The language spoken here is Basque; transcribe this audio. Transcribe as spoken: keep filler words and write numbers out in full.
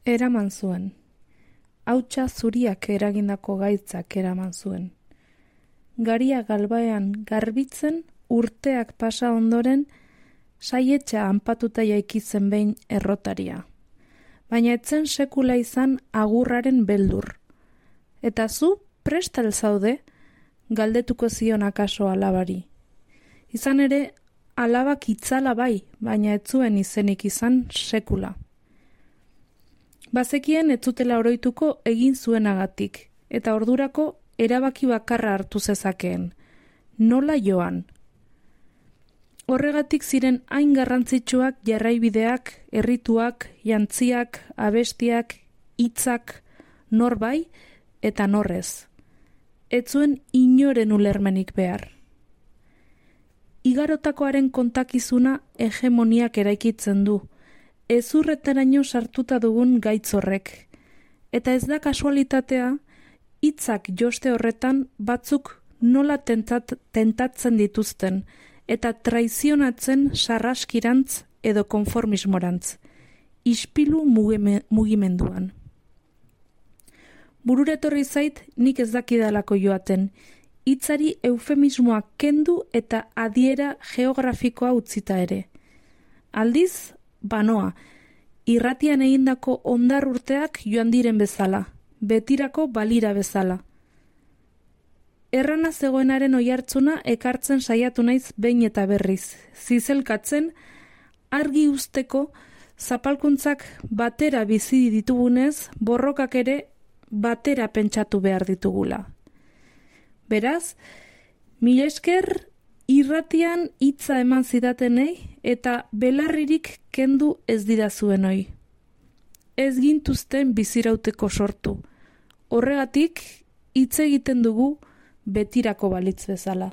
Eraman zuen. Hautsa zuriak eragindako gaitzak eraman zuen. Garia galbaean garbitzen urteak pasa ondoren saietxa anpatuta jaikitzen behin errotaria. Baina etzen sekula izan agurraren beldur. Eta zu prestal zaude galdetuko zion akaso alabari. Izan ere, alabak itzala bai, baina ez zuen izenik izan sekula. Bazekien ez zutela oroituko egin zuenagatik, eta ordurako erabaki bakarra hartu zezakeen. Nola joan? Horregatik ziren hain garrantzitsuak jarraibideak, errituak, jantziak, abestiak, hitzak, nor bai eta norrez. Ez zuen inoren ulermenik behar. Igarotakoaren kontakizuna hegemoniak eraikitzen du, ezurretaraino sartuta dugun gaitz horrek. Eta ez da kasualitatea, hitzak joste horretan batzuk nola tentat, tentatzen dituzten, eta traizionatzen sarraskirantz edo konformismorantz, ispilu mugime, mugimenduan. Bururetorri zait nik ez dakidalako joaten, hitzari eufemismoa kendu eta adiera geografikoa utzita ere. Aldiz, banoa, irratian egindako ondar urteak joan diren bezala, betirako balira bezala. Errana zegoenaren oihartzuna ekartzen saiatu naiz behin eta berriz, zizelkatzen, argi usteko zapalkuntzak batera bizi ditugunez, borrokak ere batera pentsatu behar ditugula. Beraz, mila esker irratian hitza eman zidatenei eta belarririk kendu ez didazuen hoi. Ez gintuzten bizirauteko sortu. Horregatik hitz egiten dugu betirako balitz bezala.